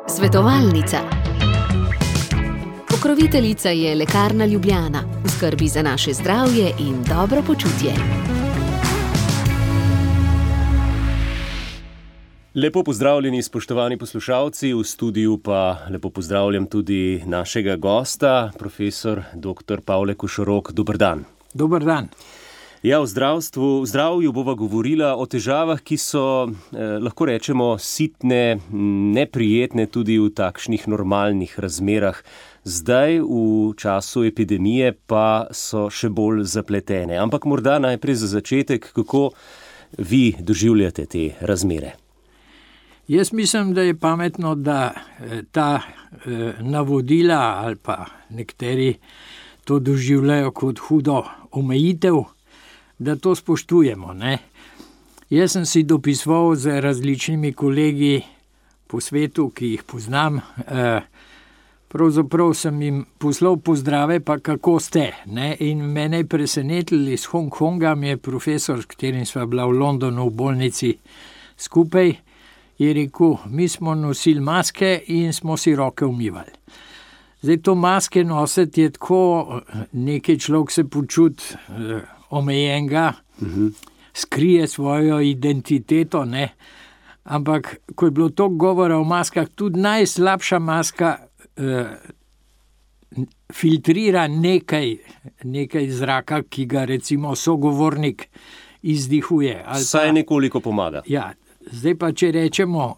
Svetovalnica. Pokroviteljica je Lekarna Ljubljana, v skrbi za naše zdravje in dobro počutje. Lepo pozdravljeni, spoštovani poslušalci, v studiu pa lepo pozdravljam tudi našega gosta, profesor dr. Pavle Košorok. Dober dan. Dober dan. Ja, v zdravju bova govorila o težavah, ki so, lahko rečemo, sitne, neprijetne tudi v takšnih normalnih razmerah. Zdaj, v času epidemije, pa so še bolj zapletene. Ampak morda najprej za začetek, kako vi doživljate te razmere? Jaz mislim, da je pametno, da ta navodila ali pa nekateri to doživljajo kot hudo omejitev, da to spoštujemo, ne. Jaz sem si dopisoval z različnimi kolegi po svetu, ki jih poznam. Pravzaprav sem jim poslal pozdrave, pa kako ste, ne. In mene je presenetilo, iz Hongkonga mi je profesor, s katerim sva bila v Londonu v bolnici skupaj, je rekel, mi smo nosili maske in smo si roke umivali. Zdaj to maske nositi je tako, nekaj človek se počuti omejenega, skrije svojo identiteto, ne. Ampak, ko je bilo toliko govora o maskah, tudi najslabša maska filtrira nekaj zraka, ki ga recimo sogovornik izdihuje. Saj nekoliko pomaga. Ja, zdaj pa, če rečemo,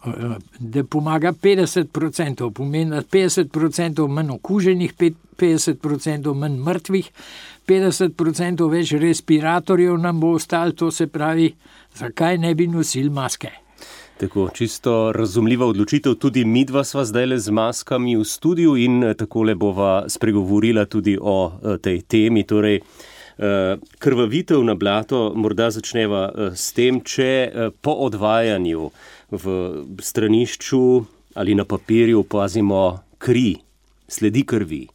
da pomaga 50%, pomeni, da 50% manj okuženih, 50% manj mrtvih, 50% več respiratorjev nam bo ostalo, to se pravi, zakaj ne bi nosili maske? Tako, čisto razumljiva odločitev, tudi midva sva zdajle z maskami v studiu in takole bova spregovorila tudi o tej temi, torej krvavitev na blato. Morda začneva s tem, če po odvajanju v stranišču ali na papirju opazimo kri, sledi krvi.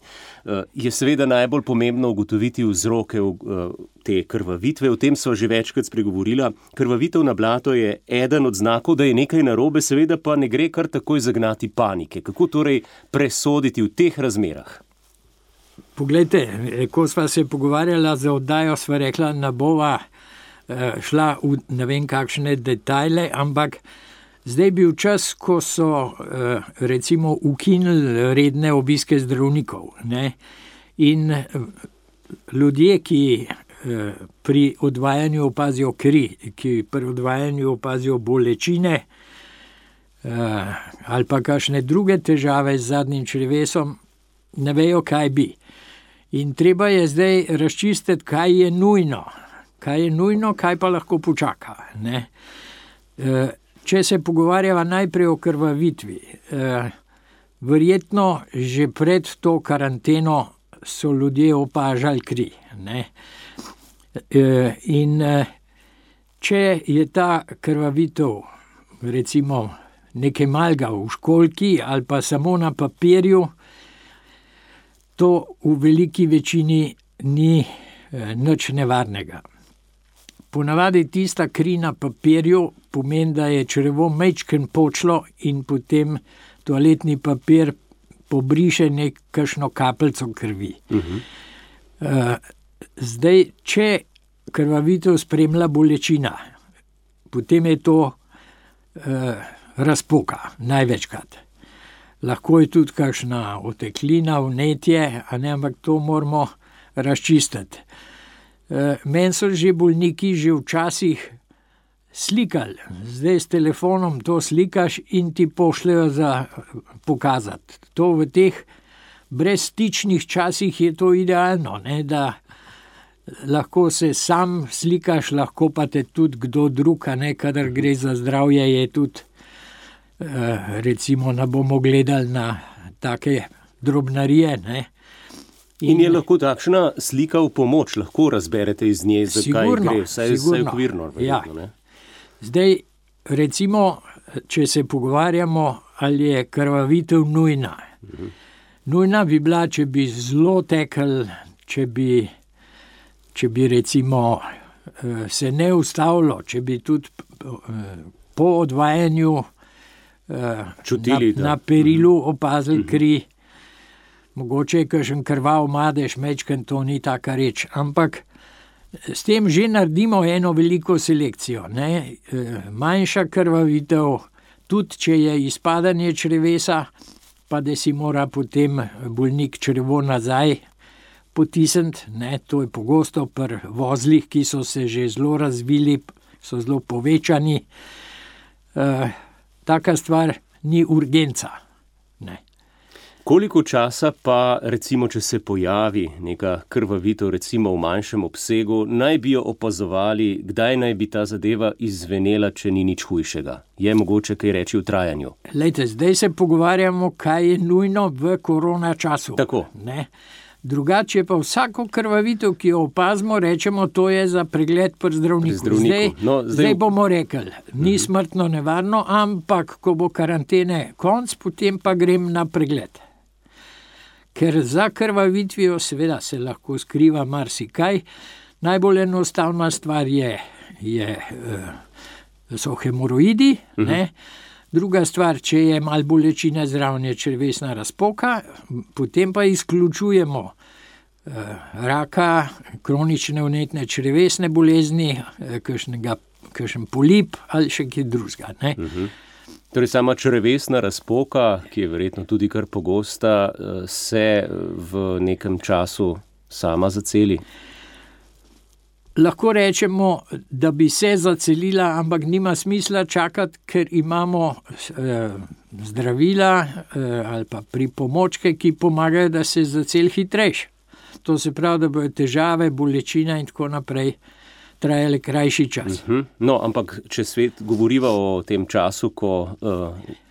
Je seveda najbolj pomembno ugotoviti vzroke te krvavitve. O tem sva že večkrat spregovorila. Krvavitev na blato je eden od znakov, da je nekaj narobe, seveda pa ne gre kar takoj zagnati panike. Kako torej presoditi v teh razmerah? Poglejte, ko sva se pogovarjala za oddajo, sva rekla, ne bova šla v ne vem kakšne detajle, ampak zdaj bil čas, ko so recimo ukinili redne obiske zdravnikov, ne? In ljudje, ki pri odvajanju opazijo kri, ki pri odvajanju opazijo bolečine ali pa kakšne druge težave z zadnjim črevesom, ne vejo, kaj bi. In treba je zdaj razčistiti, kaj je nujno. Kaj je nujno, kaj pa lahko počaka, ne? Če se pogovarjava najprej o krvavitvi, verjetno že pred to karanteno so ljudje opažali kri, ne? In če je ta krvavitev recimo nekaj malega v školjki ali pa samo na papirju, to v veliki večini ni nič nevarnega. Ponavadi tista kri na papirju pomeni, da je črevo majčkeno počlo in potem toaletni papir pobriše kakšno kapljico krvi. Zdaj, če krvavitev spremlja bolečina, potem je to razpoka, največkrat. Lahko je tudi kakšna oteklina, vnetje, ampak to moramo razčistiti. Meni so že bolniki že včasih slikali. Zdaj s telefonom to slikaš in ti pošljejo za pokazati. To v teh brezstičnih časih je to idealno, ne, da lahko se sam slikaš, lahko pa te tudi kdo drug, ne, kadar gre za zdravje, je tudi recimo ne bomo gledali na take drobnarije, ne. In je lahko takšna slika v pomoč, lahko razberete iz nje, zakaj gre, vsaj okvirno. Ja. Zdaj, recimo, če se pogovarjamo, ali je krvavitev nujna. Nujna bi bila, če bi zelo tekel, če bi recimo se ne ustavilo, če bi tudi po odvajanju čutili, na perilu opazili kri. Mogoče je kakšen krvav madež, mečken, to ni taka reč, ampak s tem že naredimo eno veliko selekcijo. Ne? Manjša krvavitev, tudi če je izpadanje črevesa, pa da si mora potem bolnik črevo nazaj potisniti. Ne? To je pogosto pri vozlih, ki so se že zelo razvili, so zelo povečani. Taka stvar ni urgenca. Ne. Koliko časa pa, recimo, če se pojavi neka krvavitev, recimo v manjšem obsegu, naj bi jo opazovali, kdaj naj bi ta zadeva izvenela, če ni nič hujšega? Je mogoče kaj reči v trajanju? Lejte, zdaj se pogovarjamo, kaj je nujno v korona času. Tako. Ne? Drugače pa vsako krvavitev, ki jo opazimo, rečemo, to je za pregled pri zdravniku. Zdaj bomo rekli, ni smrtno nevarno, ampak ko bo karantene konc, potem pa grem na pregled. Ker za krvavitvijo seveda se lahko skriva marsikaj. Najbolj enostavna stvar so hemoroidi, ne? Druga stvar, če je malo bolečine zraven, je črevesna razpoka, potem pa izključujemo raka, kronične vnetne črevesne bolezni, kakšen polip ali še kaj drugega. Torej sama črevesna razpoka, ki je verjetno tudi kar pogosta, se v nekem času sama zaceli? Lahko rečemo, da bi se zacelila, ampak nima smisla čakati, ker imamo zdravila ali pa pripomočke, ki pomagajo, da se zaceli hitrejše. To se pravi, da bojo težave, bolečina in tako naprej trajale krajši čas. No, ampak če svet govoriva o tem času, ko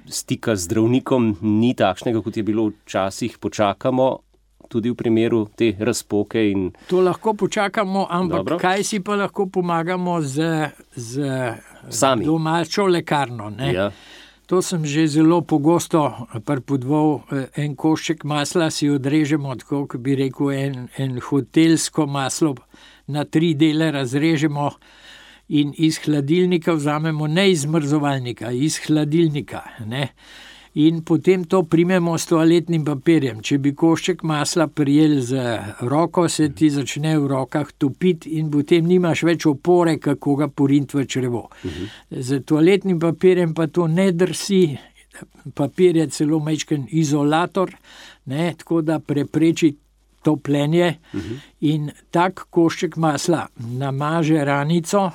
stika z zdravnikom ni takšnega, kot je bilo včasih, počakamo, tudi v primeru te razpoke. To lahko počakamo, ampak dobro. Kaj si pa lahko pomagamo z domačo lekarno? Ne? Ja. To sem že zelo pogosto pripodval. En košček masla si odrežemo, tako kot bi rekel, en hotelsko maslo na 3 dele razrežemo in iz hladilnika vzamemo, ne iz zmrzovalnika, iz hladilnika. Ne? In potem to primemo s toaletnim papirjem. Če bi košček masla prijel z roko, se ti začne v rokah topiti in potem nimaš več opore, kako ga poriniti v črevo. Z toaletnim papirjem pa to ne drsi, papir je celo majčken izolator, ne, tako da prepreči topljenje in tak košček masla namaže ranico,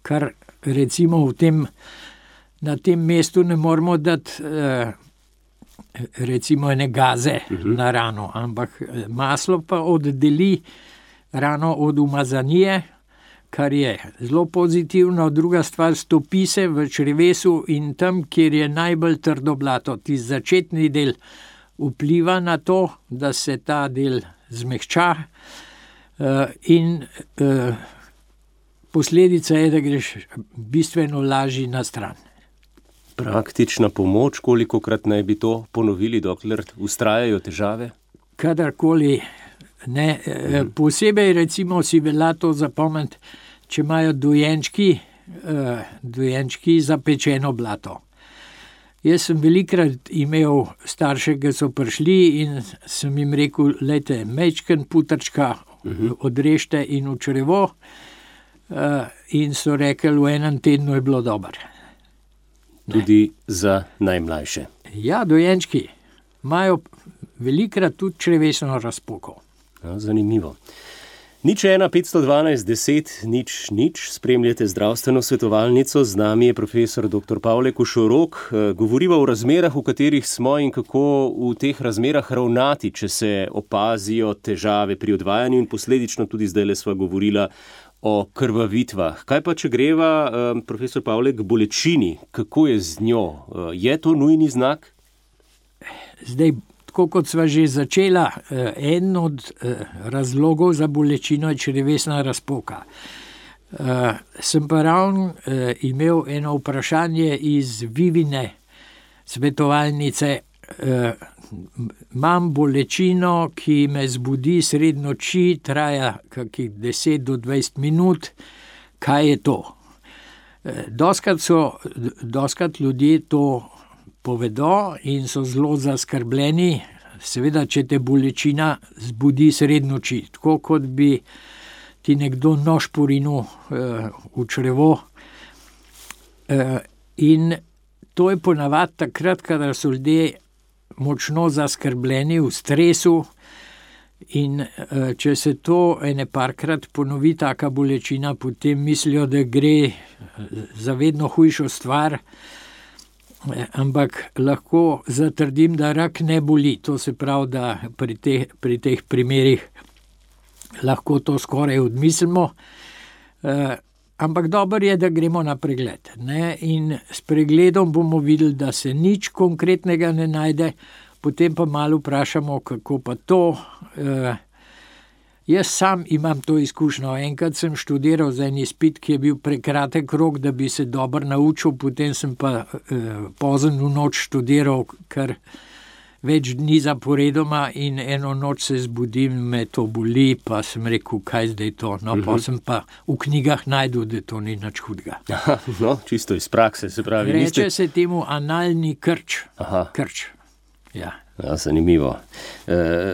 kar recimo na tem mestu ne moramo dati recimo ene gaze na rano, ampak maslo pa oddeli rano od umazanije, kar je zelo pozitivno. Druga stvar, stopi se v črevesu in tam, kjer je najbolj trdo blato, tisti začetni del vpliva na to, da se ta del zmehča in posledica je, da greš bistveno lažji na stran. Praktična pomoč, kolikokrat naj bi to ponovili, dokler vztrajajo težave? Kadarkoli. Ne. Posebej recimo si velja to zapomniti, če imajo dojenčki zapečeno blato. Jaz sem velikrat imel starše, ki so prišli in sem jim rekel, lejte, majčken putrčka odrežite in v črevo, in so rekli, v enem tednu je bilo dobro. Tudi za najmlajše. Ja, dojenčki imajo velikrat tudi črevesno razpoko. Ja, zanimivo. 01512 10 0 spremljate zdravstveno svetovalnico, z nami je profesor dr. Pavle Košorok. Govoriva o razmerah, v katerih smo in kako v teh razmerah ravnati, če se opazijo težave pri odvajanju in posledično tudi zdajle sva govorila o krvavitvah. Kaj pa, če greva, profesor Pavle, k bolečini? Kako je z njo? Je to nujni znak? Zdaj, tako kot sva že začela, en od razlogov za bolečino je črevesna razpoka. Sem pa ravno imel eno vprašanje iz Vivine svetovalnice. Imam bolečino, ki me zbudi sredi noči, traja kakih 10 do 20 minut. Kaj je to? Doskrat ljudje to povedo in so zelo zaskrbljeni, seveda, če te bolečina zbudi sredi noči, tako kot bi ti nekdo nož porinil v črevo. In to je ponavadi takrat, kadar so ljudje močno zaskrbljeni, v stresu, in če se to ene parkrat ponovi, taka bolečina, potem mislijo, da gre za vedno hujšo stvar, ampak lahko zatrdim, da rak ne boli. To se pravi, da pri teh primerih lahko to skoraj odmislimo, ampak dobro je, da gremo na pregled, ne? In s pregledom bomo videli, da se nič konkretnega ne najde, potem pa malo vprašamo, kako pa to. Jaz sam imam to izkušnjo. Enkrat sem študiral za en izpit, ki je bil prekratek rok, da bi se dobro naučil, potem sem pa pozno v noč študiral kar več dni zaporedoma in eno noč se zbudim, me to boli, pa sem rekel, kaj zdaj to. No, pa sem pa v knjigah najdel, da to ni nič hudega. No, čisto iz prakse, se pravi. Reče se temu analni krč. Krč. Ja. Ja, zanimivo.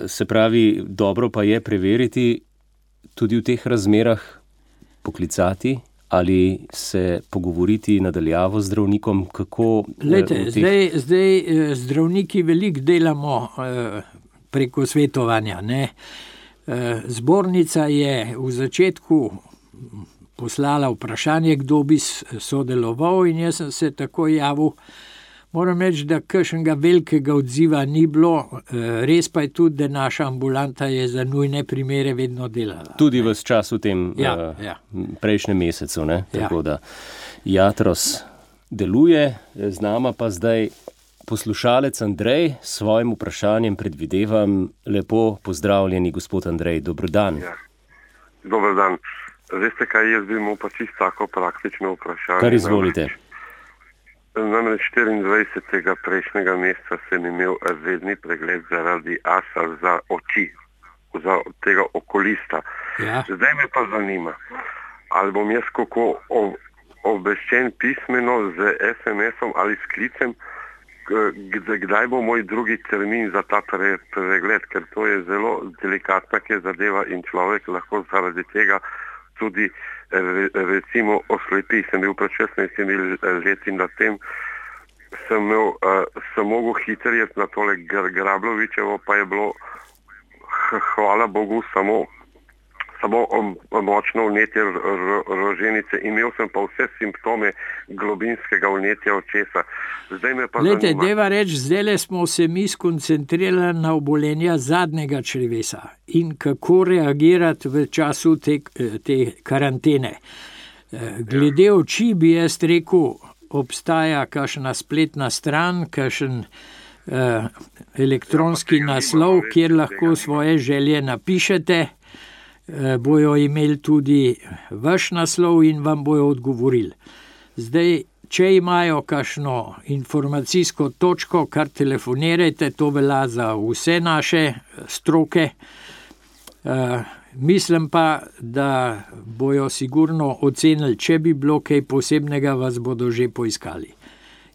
Se pravi, dobro pa je preveriti tudi v teh razmerah, poklicati ali se pogovoriti nadaljavo z zdravnikom, kako... Lejte, zdaj zdravniki veliko delamo preko svetovanja, ne. Zbornica je v začetku poslala vprašanje, kdo bi sodeloval, in jaz sem se tako javil. Moram reči, da kakšnega velikega odziva ni bilo, res pa je tudi, da naša ambulanta je za nujne primere vedno delala. Tudi v času tem prejšnjem mesecu, ne? Ja. Tako da Jatros deluje, z nama pa zdaj poslušalec Andrej s svojim vprašanjem, predvidevam. Lepo pozdravljeni, gospod Andrej, dober dan. Ja. Dober dan. Veste kaj, jaz bi imel pa čisto tako praktično vprašanje. Kar izvolite. Namreč 24. prejšnjega meseca sem imel redni pregled zaradi asa za oči, za tega okulista. Ja. Zdaj me pa zanima, ali bom jaz kako obveščen pismeno z SMS-om ali s klicem, kdaj bo moj drugi termin za ta pregled, ker to je zelo delikatna zadeva in človek lahko zaradi tega tudi recimo oslepi. Sem bil pred 16 leti in na tem sem mogel hitreje na tole Grablovičevo, pa je bilo, hvala Bogu, samo močno vnetje roženice. Imel sem pa vse simptome globinskega vnetja očesa. Zdaj me pa Lejte, zanima... deva reči, zdajle smo se mi skoncentrirali na obolenja zadnjega črevesa in kako reagirati v času te karantene. Glede oči bi jaz rekel, obstaja kakšna spletna stran, kakšen elektronski naslov, kjer lahko svoje želje napišete. Bojo imeli tudi vaš naslov in vam bojo odgovorili. Zdaj, če imajo kakšno informacijsko točko, kar telefonirajte, to velja za vse naše stroke. Mislim pa, da bojo sigurno ocenili, če bi bilo kaj posebnega, vas bodo že poiskali.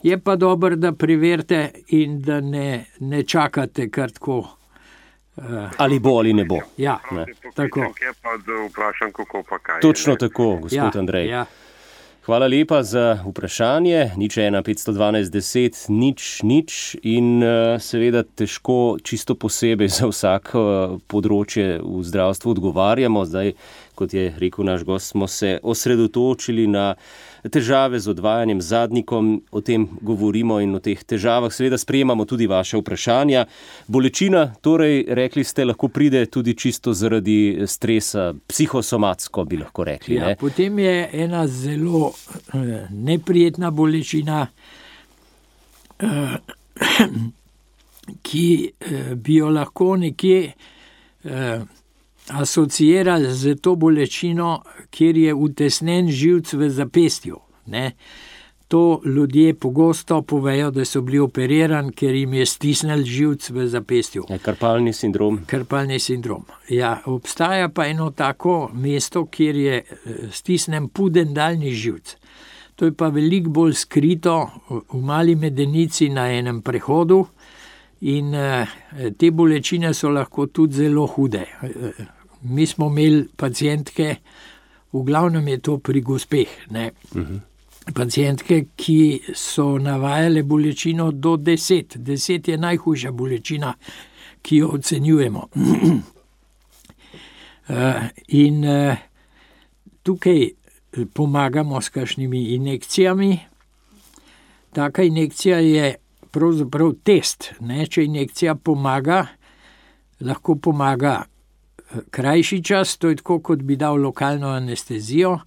Je pa dobro, da preverite in da ne čakate kar tako. Ali bo ali ne bo. Ja, tako. Pa vprašam, kako pa kaj. Točno tako, gospod Andrej. Ja. Hvala lepa za vprašanje. 0:1 512 10 0 in seveda težko čisto posebej za vsako področje v zdravstvu odgovarjamo. Zdaj, kot je rekel naš gost, smo se osredotočili na težave z odvajanjem zadnjikom, o tem govorimo in o teh težavah seveda sprejemamo tudi vaše vprašanja. Bolečina, torej, rekli ste, lahko pride tudi čisto zaradi stresa, psihosomatsko bi lahko rekli. Ja, potem je ena zelo neprijetna bolečina, ki bi jo lahko nekje asociirali z to bolečino, kjer je utesnen živc v zapestju. Ne? To ljudje pogosto povejo, da so bili operirani, ker jim je stisnil živc v zapestju. Karpalni sindrom. Karpalni sindrom. Ja, obstaja pa eno tako mesto, kjer je stisnen pudendalni živc. To je pa veliko bolj skrito v mali medenici na enem prehodu in te bolečine so lahko tudi zelo hude. Mi smo imeli pacientke, v glavnem je to pri gospeh, ne? Pacientke, ki so navajale bolečino do 10. 10 je najhujša bolečina, ki jo ocenjujemo. In tukaj pomagamo s kakšnimi injekcijami. Taka injekcija je pravzaprav test. Ne? Če injekcija pomaga, lahko pomaga krajši čas, to je tako, kot bi dal lokalno anestezijo,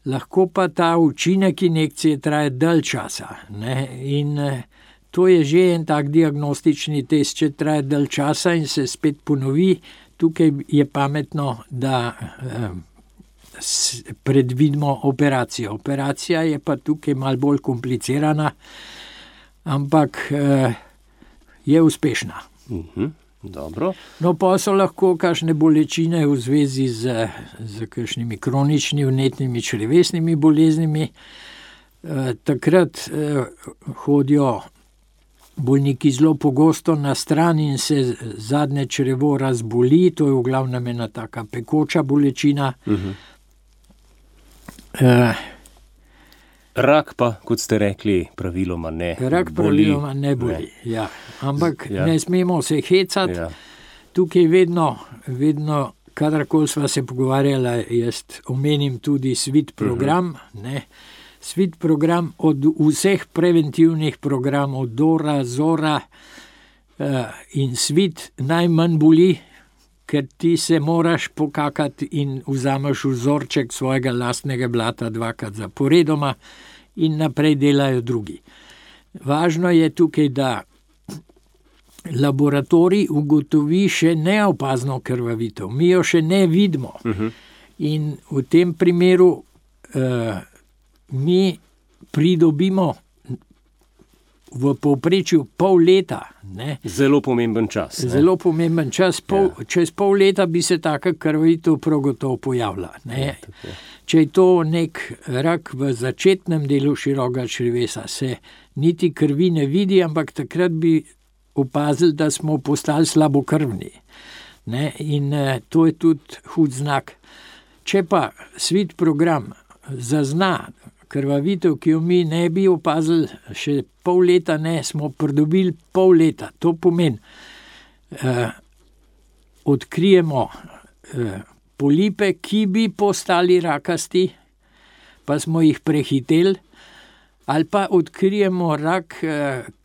lahko pa ta učinek injekcije traja dalj časa. Ne? In to je že en tak diagnostični test, če traja dalj časa in se spet ponovi. Tukaj je pametno, da predvidimo operacijo. Operacija je pa tukaj malo bolj komplicirana, ampak je uspešna. Dobro. No, pa so lahko kakšne bolečine v zvezi z kakšnimi kroničnimi vnetnimi črevesnimi boleznimi. Takrat hodijo bolniki zelo pogosto na stran in se zadnje črevo razboli, to je v glavnem ena taka pekoča bolečina. Rak pa, kot ste rekli, praviloma ne boli. Rak praviloma ne boli, ja. Ampak ne smemo se hecati. Ja. Tukaj vedno, kadarkoli sva se pogovarjala, jaz omenim tudi SWIT program, ne. SWIT program od vseh preventivnih programov, DORA, ZORA in SWIT najmanj boli, ker ti se moraš pokakati in vzameš vzorček svojega lastnega blata 2krat zaporedoma in naprej delajo drugi. Važno je tukaj, da laboratorij ugotovi še neopazno krvavitev. Mi jo še ne vidimo. In v tem primeru mi pridobimo v povprečju pol leta. Ne? Zelo pomemben čas. Zelo pomemben čas. Čez pol leta bi se taka krvavitev prav gotovo pojavila. Ne? Če je to nek rak v začetnem delu širokega črevesa, se niti krvi ne vidi, ampak takrat bi opazili, da smo postali slabokrvni. Ne? In to je tudi hud znak. Če pa SWIT program zazna krvavitev, ki jo mi ne bi opazili, še pol leta ne, smo pridobili pol leta. To pomeni, odkrijemo polipe, ki bi postali rakasti, pa smo jih prehiteli, ali pa odkrijemo rak,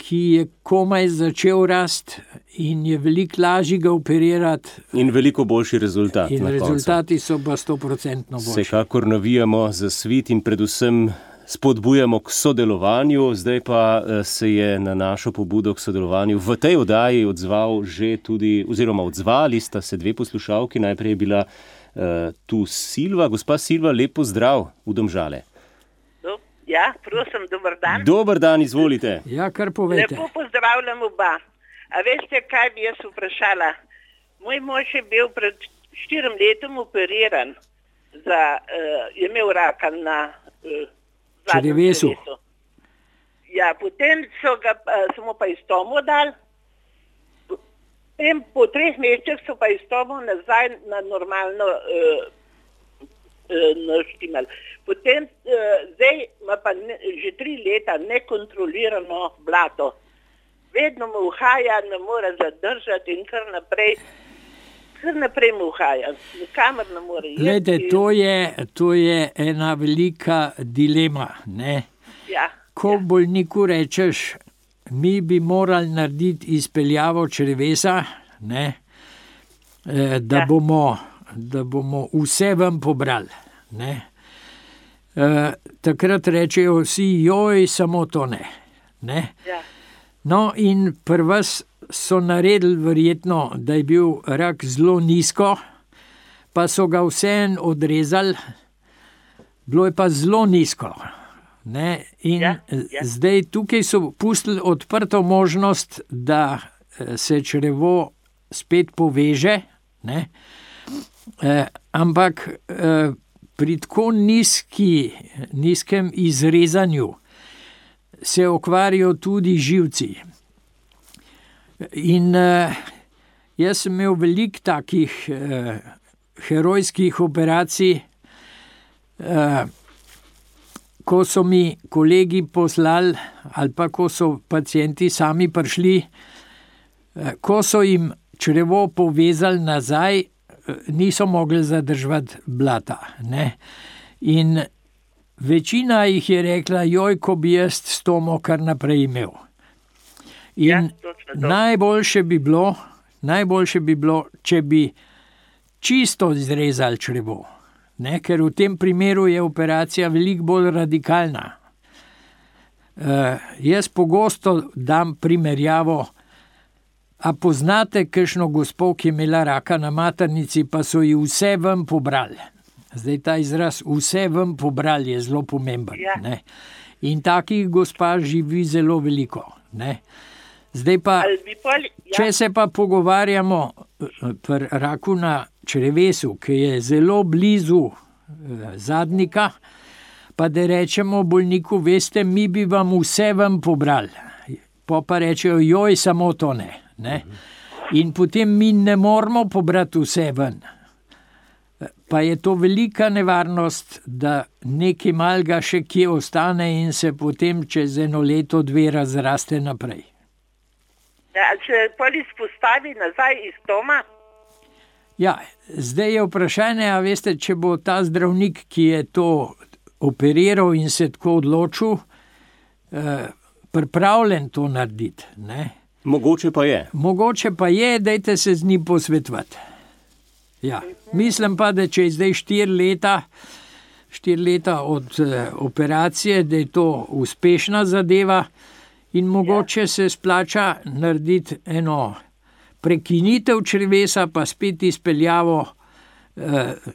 ki je komaj začel rasti in je veliko lažje ga operirati. In veliko boljši rezultat. In rezultati so pa 100% boljši. Vsekakor navijamo za SWIT in predvsem spodbujamo k sodelovanju. Zdaj pa se je na našo pobudo k sodelovanju v tej oddaji odzval že tudi, oziroma odzvali sta se dve poslušalki. Najprej je bila tu Silva. Gospa Silva, lep pozdrav v Domžale. Ja, prosim, dober dan. Dober dan, izvolite. Ja, kar povejte. Lepo pozdravljam oba. A veste, kaj bi jaz vprašala? Moj mož je bil pred 4 letom operiran, je imel raka na črevesu. Ja, potem so mu pa istomo dali, potem po 3 mesecih so pa istomo nazaj na normalno naštimali. Potem zdaj ima pa že 3 leta nekontrolirano blato. Vedno mu uhaja, ne more zadržati in kar naprej mu uhaja. Nikamor ne more iti. Glede, to je ena velika dilema. Ne? Ja, Ko bolniku rečeš, mi bi morali narediti izpeljavo črevesa, ne? Da bomo vse vam pobrali. Ne? Takrat rečejo vsi, joj, samo to ne. Ne? ja, No in pri vas so naredili verjetno, da je bil rak zelo nizko, pa so ga vseeno odrezali, bilo je pa zelo nizko. Ne? In zdaj tukaj so pustili odprto možnost, da se črevo spet poveže, ne? Ampak pri tako nizkem izrezanju se okvarijo tudi živci. In jaz sem imel veliko takih herojskih operacij, ko so mi kolegi poslali ali pa ko so pacienti sami prišli, ko so jim črevo povezali nazaj, niso mogli zadržati blata. Ne? In večina jih je rekla, joj, ko bi jaz stomo kar naprej imel. In najboljše bi bilo, če bi čisto izrezali črevo. Ne, ker v tem primeru je operacija veliko bolj radikalna. Jaz pogosto dam primerjavo, a poznate kakšno gospo, ki je imela raka na maternici, pa so ji vse ven pobrali. Zdaj ta izraz vse ven pobrali je zelo pomemben. Ja. Ne. In takih gospa živi zelo veliko. Ne. Zdaj pa, če se pa pogovarjamo pri raku na črevesu, ki je zelo blizu zadnika, pa da rečemo bolniku, veste, mi bi vam vse ven pobrali. Pa rečejo, joj, samo to ne. In potem mi ne moramo pobrati vse ven. Pa je to velika nevarnost, da nekaj malega še kje ostane in se potem čez 1 leto, 2 razraste naprej. Ja, če poli spostavi nazaj iz doma? Ja, zdaj je vprašanje, a veste, če bo ta zdravnik, ki je to operiral in se tako odločil, pripravljen to narediti. Ne? Mogoče pa je. Mogoče pa je, dajte se z njim posvetovati. Ja. Mislim pa, da če je zdaj 4 leta od operacije, da je to uspešna zadeva in mogoče se splača narediti eno prekinitev črevesa, pa spet izpeljavo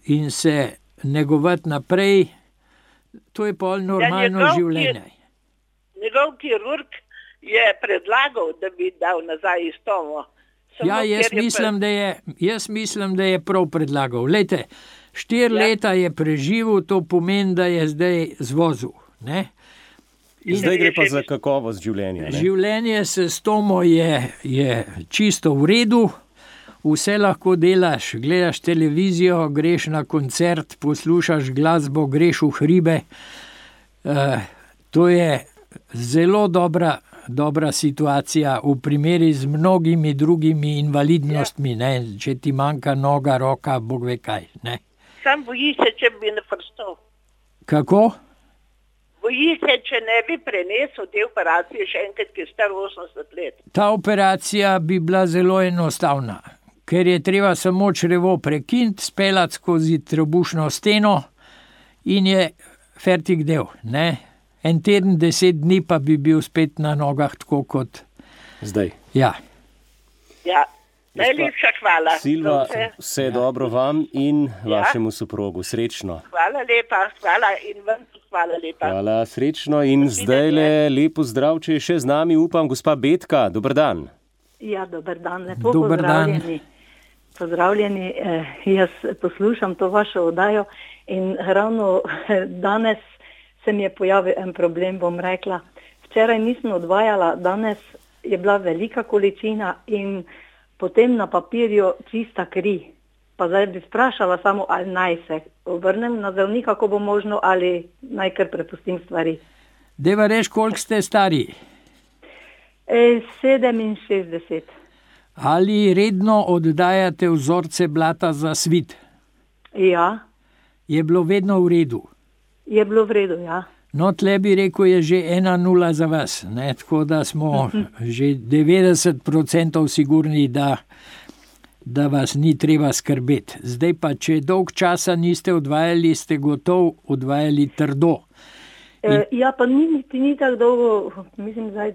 in se negovati naprej. To je pol normalno življenje. Njegov kirurg je predlagal, da bi dal nazaj iz tomo. Ja, jaz mislim, da je prav predlagal. Lejte, 4 leta je preživel, to pomeni, da je zdaj zvozil. Ne? Zdaj gre pa za kakovost življenja. Ne? Življenje s tomo je čisto v redu, vse lahko delaš, gledaš televizijo, greš na koncert, poslušaš glasbo, greš v hribe. To je zelo dobra situacija v primeri z mnogimi drugimi invalidnostmi, ne? Če ti manjka noga, roka, bog ve kaj. Ne? Sam boji se, če bi ne prstal. Kako? Boji se, če ne bi prenesel te operacije še enkrat, ki je star 80 let. Ta operacija bi bila zelo enostavna, ker je treba samo črevo prekiniti, speljati skozi trebušno steno in je fertik del, ne? 1 teden, 10 dni pa bi bil spet na nogah tako kot zdaj. Ja. Ja, najlepša hvala. Silva, vse dobro vam in vašemu soprogu. Srečno. Hvala lepa, hvala in vam hvala lepa. Hvala, srečno in zdaj lepo zdrav, če je še z nami, upam, gospa Betka. Dober dan. Ja, dober dan, lepo Dober pozdravljeni. Pozdravljeni, jaz poslušam to vašo oddajo in ravno danes se mi je pojavil en problem, bom rekla. Včeraj nisem odvajala, danes je bila velika količina in potem na papirju čista kri. Pa zdaj bi sprašala samo, ali naj se obrnem na zdravnika, ko bo možno, ali naj kar prepustim stvari. Deva reč, koliko ste stari? 67. Ali redno oddajate vzorce blata za svit? Ja. Je bilo vedno v redu? Je bilo v redu, ja. No, tle bi rekel, je že 1-0 za vas, ne? Tako da smo že 90% sigurni, da vas ni treba skrbeti. Zdaj pa, če dolg časa niste odvajali, ste gotov odvajali trdo. Ja, pa ni tako dolgo, mislim, zdaj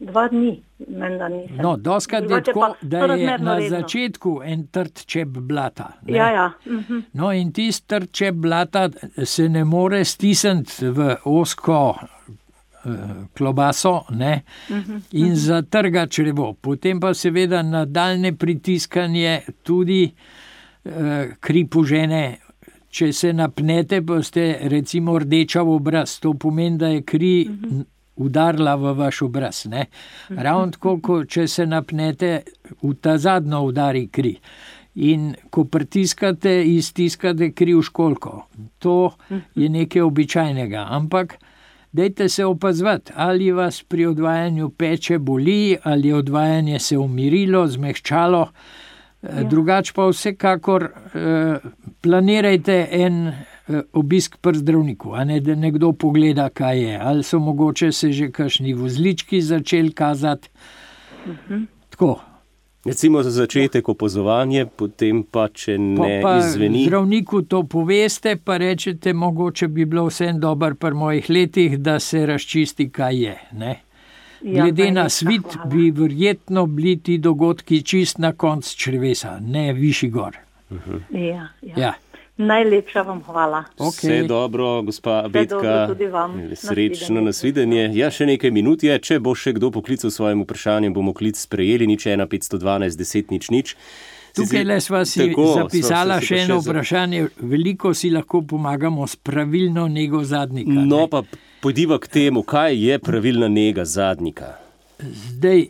2 dni, menda nisem. No, doskrat je tako, da je na začetku en trd čep blata. Ne? Ja. No, in tisti trd čep blata se ne more stisniti v ozko klobaso, ne? In zatrga črevo. Potem pa seveda nadaljne pritiskanje tudi kri požene če se napnete, pa ste recimo rdeča v obraz, to pomeni, da je kri udarila v vaš obraz. Ne? Ravno tako, če se napnete, v ta zadnjo udari kri. In ko pritiskate, iztiskate kri v školjko. To je nekaj običajnega, ampak dajte se opazovati, ali vas pri odvajanju peče boli, ali je odvajanje se umirilo, zmehčalo. Drugače pa vsekakor planirajte en obisk pri zdravniku, a ne da nekdo pogleda, kaj je. Ali so mogoče se že kakšni vozlički začeli kazati. Tako. Recimo za začetek opazovanje, potem pa, če ne izveni. Zdravniku to poveste, pa rečete, mogoče bi bilo vsem dobro pri mojih letih, da se razčisti, kaj je. Ne? Glede na svit bi verjetno bili ti dogodki čist na konc črevesa, ne višji gor. Ja. Najlepša vam hvala. Vse dobro, gospa Betka. Srečno nasvidenje. Ja, še nekaj minut je. Če bo še kdo poklical svojim vprašanjem, bomo klic sprejeli. 1 512 10 00. Tukaj le sva si zapisala še eno vprašanje. Veliko si lahko pomagamo s pravilno nego zadnika. No, pa pojdiva k temu, kaj je pravilna nega zadnika. Zdaj,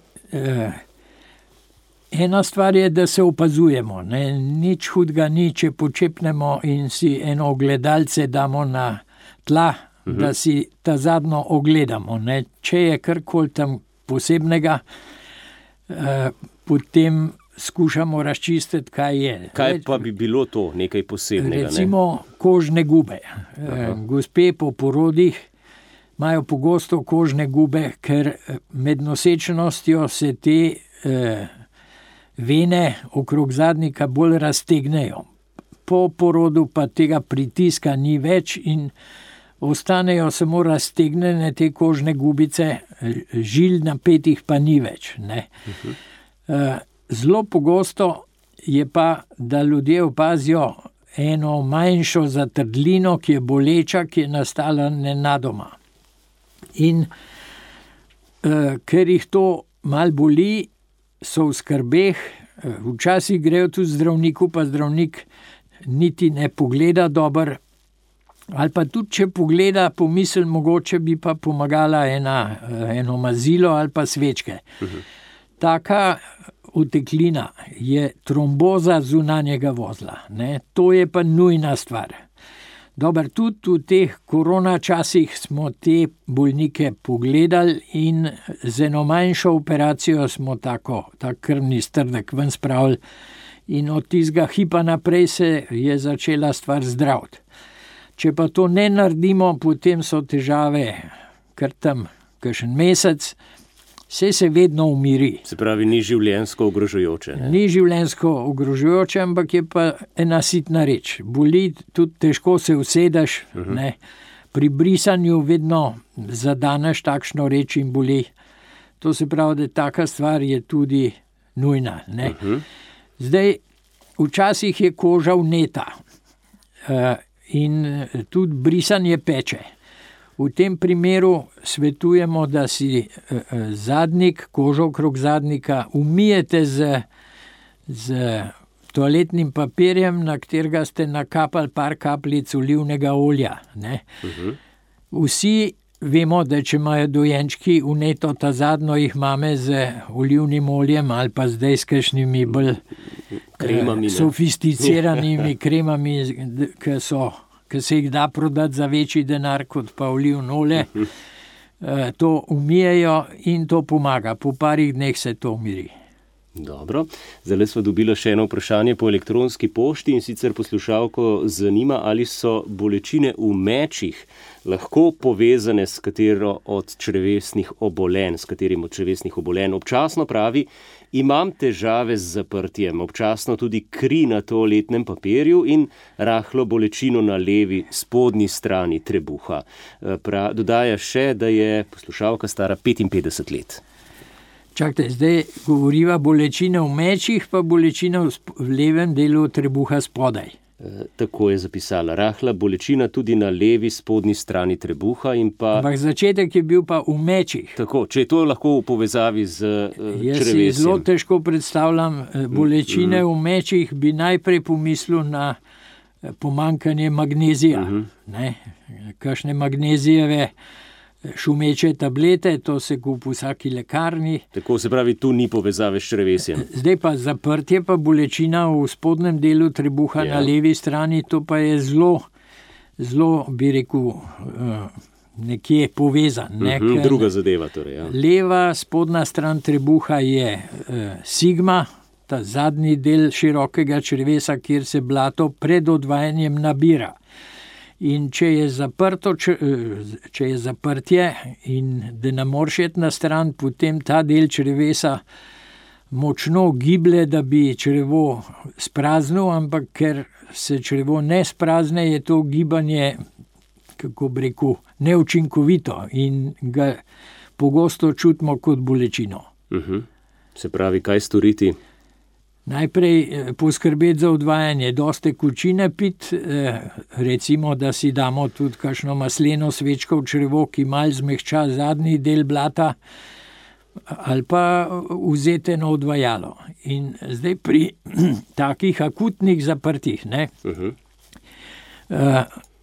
ena stvar je, da se opazujemo. Ne? Nič hudega ni, če počepnemo in si eno ogledalce damo na tla, da si ta zadnjo ogledamo. Ne? Če je karkoli tam posebnega, potem skušamo razčistiti, kaj je. Kaj pa bi bilo to, nekaj posebnega? Recimo kožne gube. Gospe po porodih imajo pogosto kožne gube, ker med nosečnostjo se te vene okrog zadnika bolj raztegnejo. Po porodu pa tega pritiska ni več in ostanejo samo raztegnjene te kožne gubice, žil napetih pa ni več. Ne? Zelo pogosto je pa, da ljudje opazijo eno manjšo zatrdlino, ki je boleča, ki je nastala nenadoma. In ker jih to mal boli, so v skrbeh, včasih grejo tudi zdravniku, pa zdravnik niti ne pogleda dober, ali pa tudi, če pogleda, pomisli, mogoče bi pa pomagala eno mazilo ali pa svečke. Taka oteklina je tromboza zunanjega vozla. Ne? To je pa nujna stvar. Dobar, tudi v teh korona časih smo te bolnike pogledali in z eno manjšo operacijo smo ta krvni strdek ven spravili in od tistega hipa naprej se je začela stvar zdraviti. Če pa to ne naredimo, potem so težave kar tam kakšen mesec, se vedno umiri. Se pravi, ni življenjsko ogrožujoče. Ne? Ni življenjsko ogrožujoče, ampak je pa ena sitna reč. Boli, tudi težko se usedeš, ne? Pri brisanju vedno zadaneš takšno reč in boli. To se pravi, da taka stvar je tudi nujna. Ne? Zdaj, včasih je koža vneta in tudi brisanje peče. V tem primeru svetujemo, da si zadnik, kožo okrog zadnika umijete z toaletnim papirjem, na katerega ste nakapali par kapljic olivnega olja. Ne? Vsi vemo, da če imajo dojenčki vneto ta zadnjo, jih mame z olivnim oljem ali pa zdaj s kakšnimi bolj sofisticiranimi kremami, ki se jih da prodati za večji denar kot pa olivno olje. To umijejo in to pomaga. Po parih dneh se to umiri. Dobro, zdaj smo dobili še eno vprašanje po elektronski pošti in sicer poslušalko zanima, ali so bolečine v mečih lahko povezane s katero od črevesnih obolenj, Občasno pravi, imam težave z zaprtjem, občasno tudi kri na toaletnem papirju in rahlo bolečino na levi spodnji strani trebuha. Dodaja še, da je poslušalka stara 55 let. Čakajte, zdaj govoriva bolečine v mečih, pa bolečina v levem delu trebuha spodaj. Tako je zapisala. Rahla bolečina tudi na levi spodnji strani trebuha in pa... Ampak začetek je bil pa v mečih. Tako, če je to lahko v povezavi z črevesjem. Jaz si zelo težko predstavljam bolečine v mečih, bi najprej pomislil na pomanjkanje magnezija. Kakšne magnezijeve šumeče tablete, to se kupi v vsaki lekarni. Tako se pravi, tu ni povezave s črevesjem. Zdaj pa zaprtje, pa bolečina v spodnjem delu trebuha na levi strani, to pa je zelo, bi rekel, nekje povezan. Druga zadeva torej. Ja. Leva spodnja stran trebuha je sigma, ta zadnji del širokega črevesa, kjer se blato pred odvajanjem nabira. In če je zaprtje in da ne moreš iti na stran, potem ta del črevesa močno giblje, da bi črevo spraznil, ampak ker se črevo ne sprazne, je to gibanje, kako bi rekel, neučinkovito in ga pogosto čutimo kot bolečino. Se pravi, kaj storiti? Najprej poskrbeti za odvajanje, dosti tekočine piti, recimo, da si damo tudi kakšno masleno svečko v črevo, ki malo zmehča zadnji del blata, ali pa vzeti eno odvajalo. In zdaj pri takih akutnih zaprtih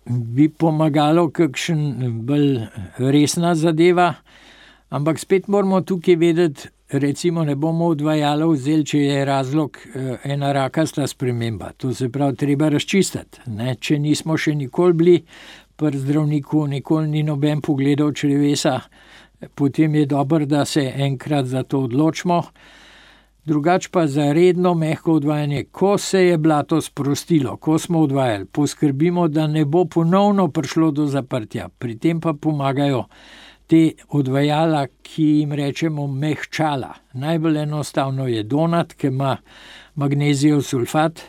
bi pomagalo kakšen bolj resna zadeva, ampak spet moramo tukaj vedeti, recimo ne bomo odvajalo vzeli, če je razlog ena rakasta sprememba. To se pravi, treba razčistiti. Če nismo še nikoli bili pri zdravniku, nikoli ni noben pogledal črevesa, potem je dobro, da se enkrat za to odločimo. Drugače pa za redno mehko odvajanje, ko se je blato sprostilo, ko smo odvajali, poskrbimo, da ne bo ponovno prišlo do zaprtja. Pri tem pa pomagajo te odvajala, ki jim rečemo mehčala. Najbolj enostavno je donat, ki ima magnezijev sulfat,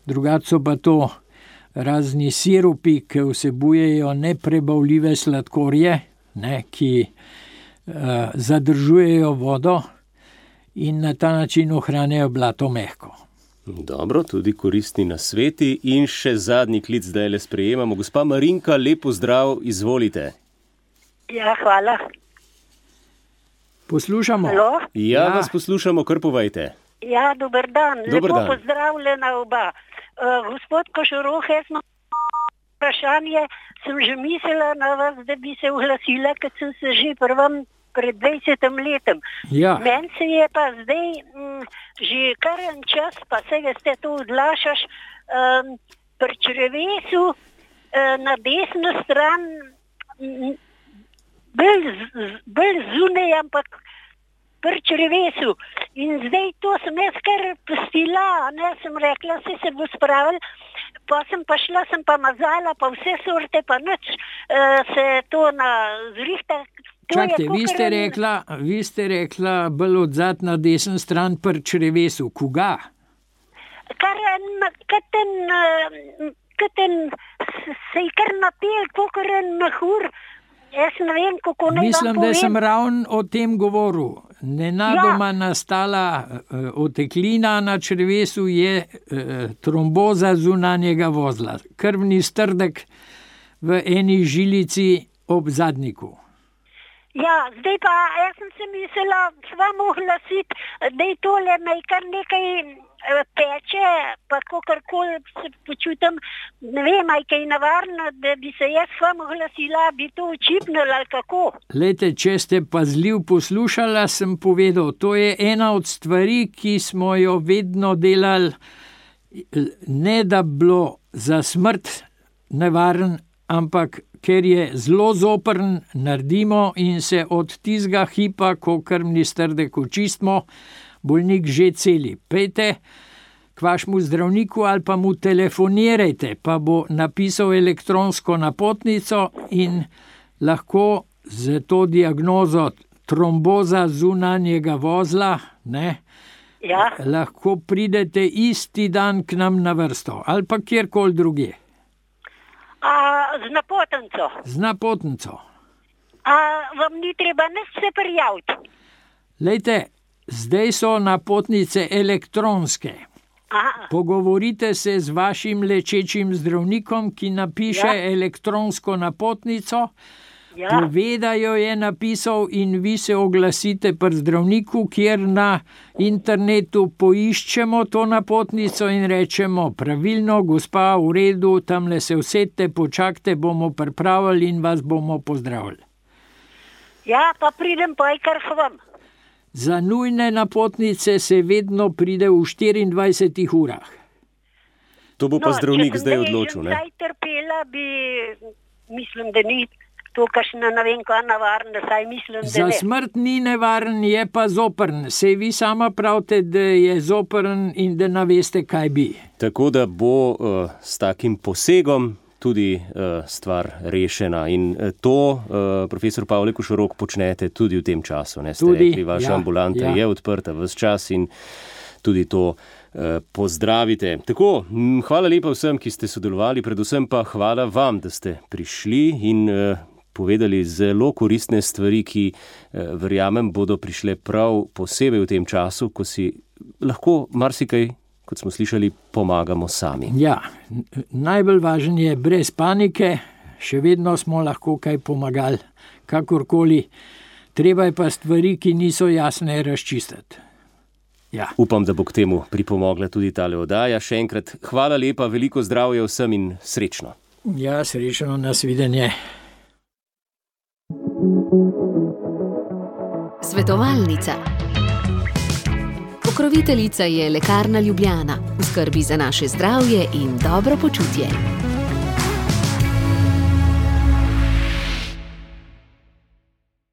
drugače so pa to razni sirupi, ki vsebujejo neprebavljive sladkorje, ki zadržujejo vodo in na ta način ohranjajo blato mehko. Dobro, tudi koristni nasveti in še zadnji klic zdaj le sprejemamo. Gospa Marinka, lep pozdrav, izvolite. Ja, hvala. Poslušamo. Halo? Ja, vas poslušamo, kar povejte. Ja, dober dan. Dober Lepo dan. pozdravljena oba. Gospod Košoroh, jaz imam vprašanje, sem že mislila na vas, da bi se oglasila, ker sem se že prvam pred 20 letom. Ja. Meni se je pa zdaj že kar en čas, pa se veste, to odlašaš, pri črevesu na desno stran bolj zunaj, ampak pri črevesu. In zdaj to sem jaz kar pustila, sem rekla, se bo spravil, pa sem pa šla, sem pa mazala, pa vse sorte, pa nič se to na zrihta. Čakajte, vi ste rekla bolj odzad na desen stran pri črevesu. Koga? Se je kar napel, kakor en mehur. Jaz ne vem, kako naj vam povem. Mislim, da sem ravno o tem govoril. Nenadoma nastala oteklina na črevesu je tromboza zunanjega vozla. Krvni strdek v eni žilici ob zadnjiku. Ja, zdaj pa, jaz sem se mislila s vam oglasiti, da je tole me kar nekaj peče, pa kakorkoli se počutim, ne vem, aj kaj navarno, da bi se jaz s vam oglasila, bi to očipnila ali kako. Glejte, če ste pazljiv poslušala, sem povedal, to je ena od stvari, ki smo jo vedno delali, ne da bilo za smrt nevaren, ampak ker je zelo zoprn, naredimo in se od tizga hipa, ko krvni strdek očistimo, bolnik že celi. Pejte k vašemu zdravniku ali pa mu telefonirajte, pa bo napisal elektronsko napotnico in lahko za to diagnozo tromboza zunanjega vozla, lahko pridete isti dan k nam na vrsto ali pa kjerkoli drugje. Z napotnico? Z napotnico. Vam ni treba nič se prijaviti? Lejte, zdaj so napotnice elektronske. Pogovorite se z vašim lečečim zdravnikom, ki napiše elektronsko napotnico. Ja. Povedajo je napisal in vi se oglasite pri zdravniku, kjer na internetu poiščemo to napotnico in rečemo pravilno, gospa, v redu, tamle se usedite, počakajte, bomo pripravili in vas bomo pozdravili. Ja, pa pridem pa kar k vam. Za nujne napotnice se vedno pride v 24 urah. To bo pa zdravnik zdaj odločil, ne? Če sem zdaj trpela, mislim, da ni to kakšna, ne vem, kaj navarna, saj mislim, da Za ne. smrt ni nevaren, je pa zoprn. Sej vi sama pravite, da je zoprn in da ne veste, kaj bi. Tako da bo s takim posegom tudi stvar rešena. In to, profesor Pavle Košorok, počnete tudi v tem času. Ne? Ste Tudi, rekli, vaša ja, ambulanta ja. je odprta ves čas in tudi to pozdravite. Tako, hvala lepa vsem, ki ste sodelovali, predvsem pa hvala vam, da ste prišli in povedali zelo koristne stvari, ki verjamem bodo prišle prav posebej v tem času, ko si lahko marsikaj, kot smo slišali, pomagamo sami. Ja, najbolj važen je brez panike, še vedno smo lahko kaj pomagali, kakorkoli. Treba je pa stvari, ki niso jasne, razčistiti. Ja. Upam, da bo k temu pripomogla tudi tale oddaja. Še enkrat hvala lepa, veliko zdravja vsem in srečno. Ja, srečno, nasvidenje. Svetovalnica. Pokroviteljica je Lekarna Ljubljana, v skrbi za naše zdravje in dobro počutje.